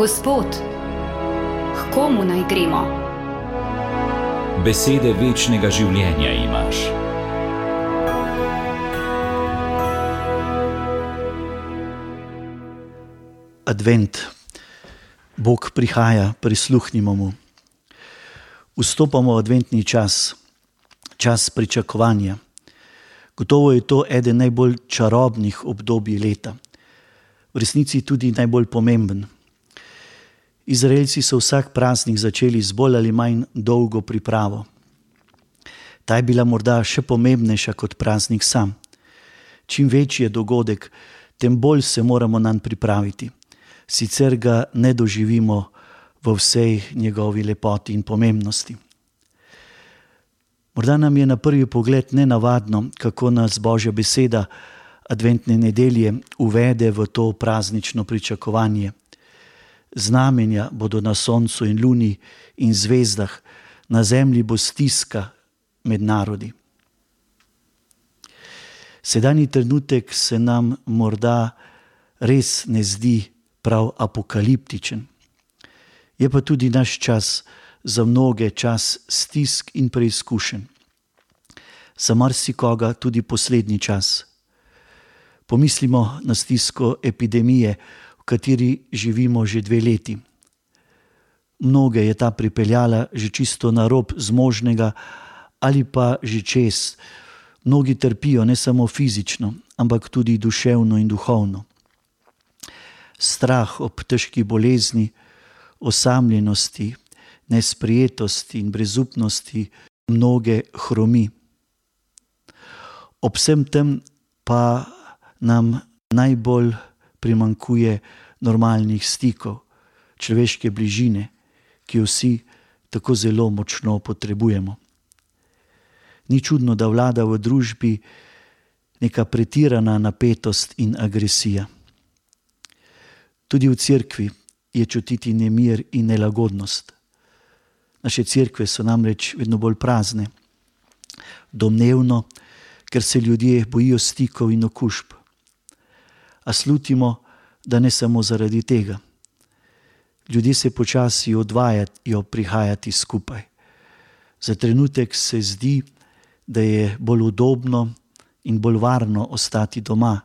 Gospod, k komu naj gremo? Besede večnega življenja imaš. Advent. Bog prihaja, prisluhnimo mu. Vstopamo v adventni čas, čas pričakovanja. Gotovo je to eden najbolj čarobnih obdobij leta. V resnici tudi najbolj pomemben. Izraelci so vsak praznik začeli z bolj ali manj dolgo pripravo. Ta je bila morda še pomembnejša kot praznik sam. Čim večji je dogodek, tem bolj se moramo nanj pripraviti. Sicer ga ne doživimo v vsej njegovi lepoti in pomembnosti. Morda nam je na prvi pogled nenavadno, kako nas Božja beseda adventne nedelje uvede v to praznično pričakovanje. Znamenja bodo na soncu in luni in zvezdah, na zemlji bo stiska med narodi. Sedanji trenutek se nam morda res ne zdi prav apokaliptičen. Je pa tudi naš čas za mnoge čas stisk in preizkušenj. Za marsikoga tudi poslednji čas. Pomislimo na stisko epidemije, v kateri živimo že 2 leti. Mnoge je ta pripeljala že čisto na rob zmožnega ali pa že čez. Mnogi trpijo ne samo fizično, ampak tudi duševno in duhovno. Strah ob težki bolezni, osamljenosti, nesprejetosti in brezupnosti mnoge hromi. Ob vsem tem pa nam najbolj primanjkuje normalnih stikov, človeške bližine, ki jo vsi tako zelo močno potrebujemo. Ni čudno, da vlada v družbi neka pretirana napetost in agresija. Tudi v cerkvi je čutiti nemir in nelagodnost. Naše cerkve so namreč vedno bolj prazne. Domnevno, ker se ljudje bojijo stikov in okužb. A slutimo, da ne samo zaradi tega. Ljudje se počasi odvajajo prihajati skupaj. Za trenutek se zdi, da je bolj udobno in bolj varno ostati doma,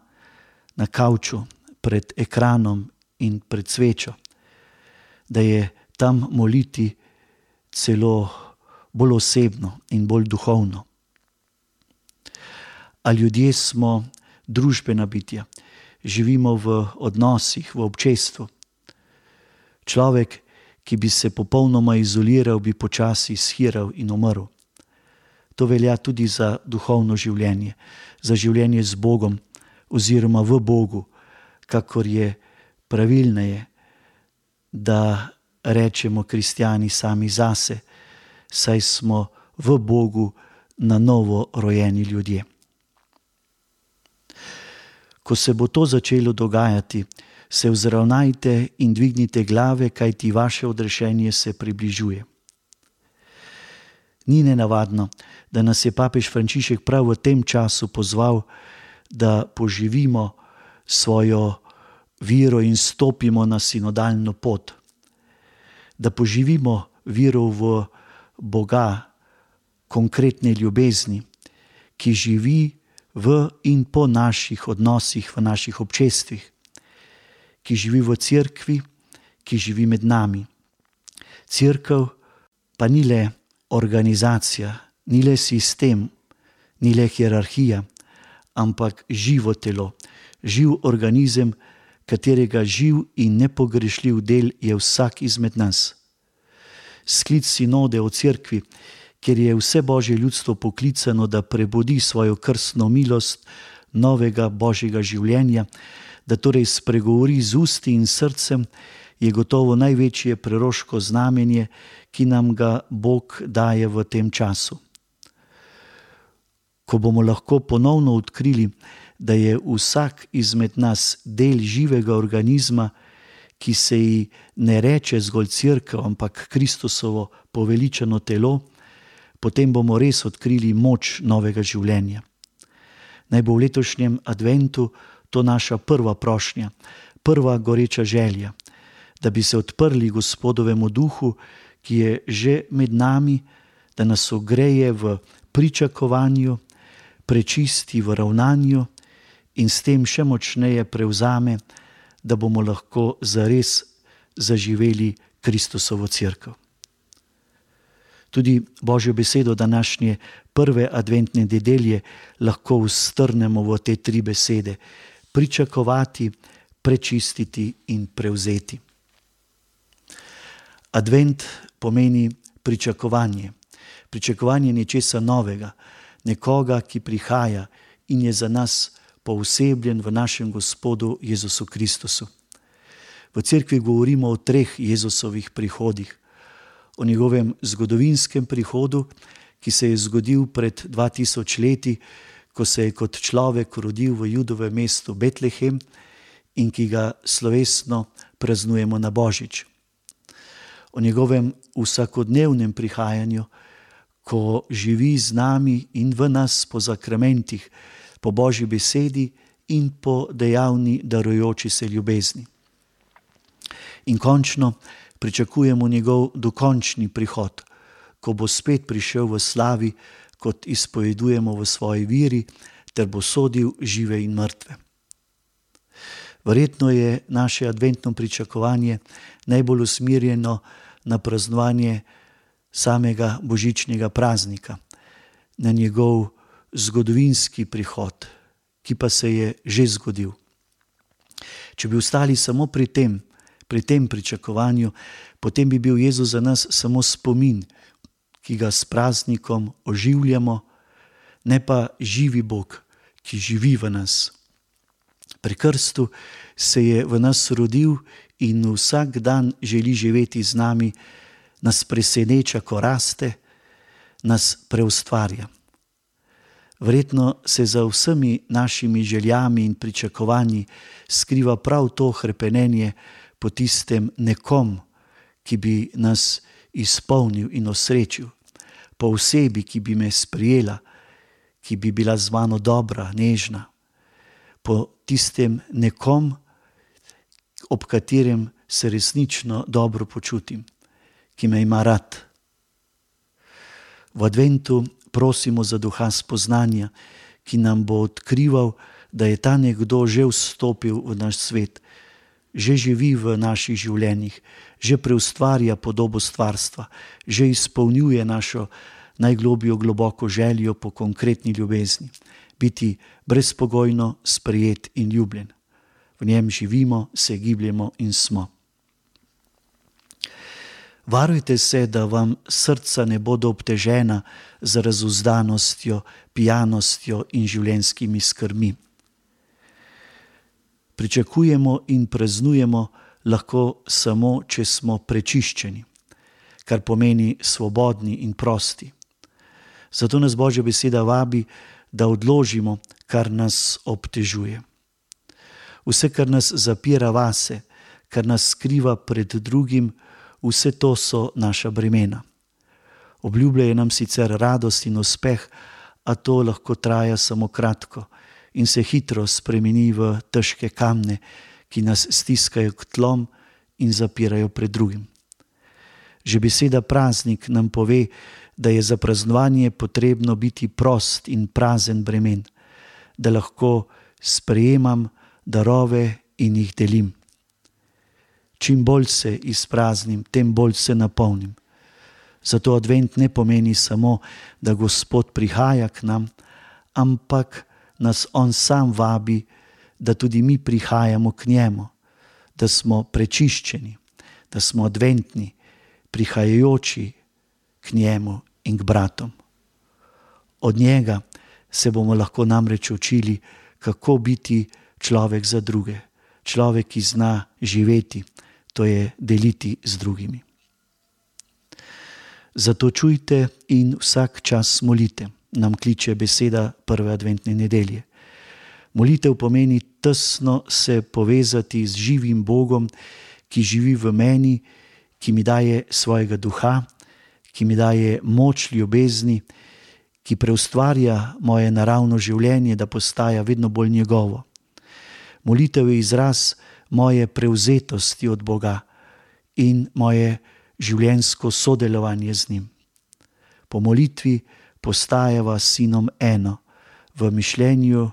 na kavču, pred ekranom in pred svečo. Da je tam moliti celo bolj osebno in bolj duhovno. A ljudje smo družbena bitja. Živimo v odnosih, v občestvu. Človek, ki bi se popolnoma izoliral, bi počasi shiral in umrl. To velja tudi za duhovno življenje, za življenje z Bogom oziroma v Bogu, kakor je pravilneje, da rečemo kristjani sami zase, saj smo v Bogu na novo rojeni ljudje. Ko se bo to začelo dogajati, se vzravnajte in dvignite glave, kajti vaše odrešenje se približuje. Ni nenavadno, da nas je papež Frančišek prav v tem času pozval, da poživimo svojo vero in stopimo na sinodalno pot. Da poživimo vero v Boga, konkretne ljubezni, ki živi v in po naših odnosih, v naših občestvih, ki živi v cerkvi, ki živi med nami. Cerkev pa ni le organizacija, ni le sistem, ni le hierarhija, ampak živo telo, živ organizem, katerega živ in nepogrešljiv del je vsak izmed nas. Sklic sinode o cerkvi, kjer je vse Božje ljudstvo poklicano, da prebudi svojo krstno milost novega Božjega življenja, da torej spregovori z usti in srcem, je gotovo največje preroško znamenje, ki nam ga Bog daje v tem času. Ko bomo lahko ponovno odkrili, da je vsak izmed nas del živega organizma, ki se ji ne reče zgolj cerkev, ampak Kristusovo poveličano telo, potem bomo res odkrili moč novega življenja. Naj bo v letošnjem adventu to naša prva prošnja, prva goreča želja, da bi se odprli Gospodovemu duhu, ki je že med nami, da nas ogreje v pričakovanju, prečisti v ravnanju in s tem še močneje prevzame, da bomo lahko zares zaživeli Kristusovo cerkev. Tudi Božjo besedo današnje prve adventne nedelje lahko ustrnemo v te 3 besede: pričakovati, prečistiti in prevzeti. Advent pomeni pričakovanje. Pričakovanje nečesa novega, nekoga, ki prihaja in je za nas poosebljen v našem Gospodu Jezusu Kristusu. V cerkvi govorimo o 3 Jezusovih prihodih. O njegovem zgodovinskem prihodu, ki se je zgodil pred 2000 leti, ko se je kot človek rodil v Judovem mestu Betlehem in ki ga slovesno praznujemo na Božič. O njegovem vsakodnevnem prihajanju, ko živi z nami in v nas po zakramentih, po Božji besedi in po dejavni darujoči se ljubezni. In končno pričakujemo njegov dokončni prihod, ko bo spet prišel v slavi, kot izpovedujemo v svoji veri, ter bo sodil žive in mrtve. Verjetno je naše adventno pričakovanje najbolj usmerjeno na praznovanje samega božičnega praznika, na njegov zgodovinski prihod, ki pa se je že zgodil. Če bi ostali samo pri tem pričakovanju, potem bi bil Jezus za nas samo spomin, ki ga s praznikom oživljamo, ne pa živi Bog, ki živi v nas. Pri krstu se je v nas rodil in vsak dan želi živeti z nami, nas preseneča, ko raste, nas preustvarja. Verjetno se za vsemi našimi željami in pričakovanji skriva prav to hrepenenje po tistem nekom, ki bi nas izpolnil in osrečil, po osebi, ki bi me sprijela, ki bi bila z mano dobra, nežna, po tistem nekom, ob katerem se resnično dobro počutim, ki me ima rad. V adventu prosimo za duha spoznanja, ki nam bo odkrival, da je ta nekdo že vstopil v naš svet, že živi v naših življenjih, že preustvarja podobo stvarstva, že izpolnjuje našo najglobljo globoko željo po konkretni ljubezni, biti brezpogojno sprejet in ljubljen. V njem živimo, se gibljemo in smo. Varujte se, da vam srca ne bodo obtežena z razuzdanostjo, pijanostjo in življenjskimi skrbmi. Pričakujemo in praznujemo lahko samo, če smo prečiščeni, kar pomeni svobodni in prosti. Zato nas Božja beseda vabi, da odložimo, kar nas obtežuje. Vse, kar nas zapira vase, kar nas skriva pred drugim, vse to so naša bremena. Obljubljajo nam sicer radost in uspeh, a to lahko traja samo kratko in se hitro spremeni v težke kamne, ki nas stiskajo k tlom in zapirajo pred drugim. Že beseda praznik nam pove, da je za praznovanje potrebno biti prost in prazen bremen, da lahko sprejemam darove in jih delim. Čim bolj se izpraznim, tem bolj se napolnim. Zato advent ne pomeni samo, da Gospod prihaja k nam, ampak nas On sam vabi, da tudi mi prihajamo k njemu, da smo prečiščeni, da smo adventni, prihajajoči k njemu in k bratom. Od njega se bomo lahko namreč učili, kako biti človek za druge, človek, ki zna živeti, to je deliti z drugimi. Zato čujte in vsak čas molite, nam kliče beseda prve adventne nedelje. Molitev pomeni tesno se povezati z živim Bogom, ki živi v meni, ki mi daje svojega duha, ki mi daje moč ljubezni, ki preustvarja moje naravno življenje, da postaja vedno bolj njegovo. Molitev je izraz moje prevzetosti od Boga, in moje življenjsko sodelovanje z njim. Po molitvi postajava s sinom eno v mišljenju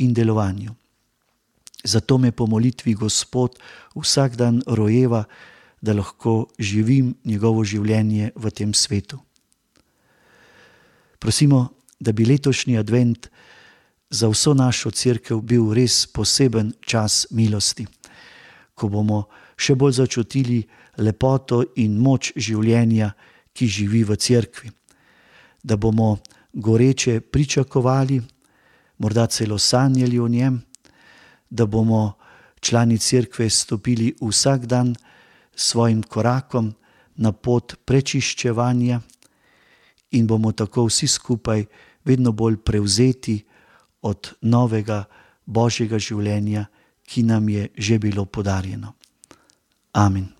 in delovanju. Zato me po molitvi Gospod vsak dan rojeva, da lahko živim njegovo življenje v tem svetu. Prosimo, da bi letošnji advent za vso našo cerkev bil res poseben čas milosti, ko bomo še bolj začutili lepoto in moč življenja, ki živi v cerkvi. Da bomo goreče pričakovali, morda celo sanjali o njem, da bomo člani cerkve stopili vsak dan svojim korakom na pot prečiščevanja in bomo tako vsi skupaj vedno bolj prevzeti od novega Božjega življenja, ki nam je že bilo podarjeno. Amen.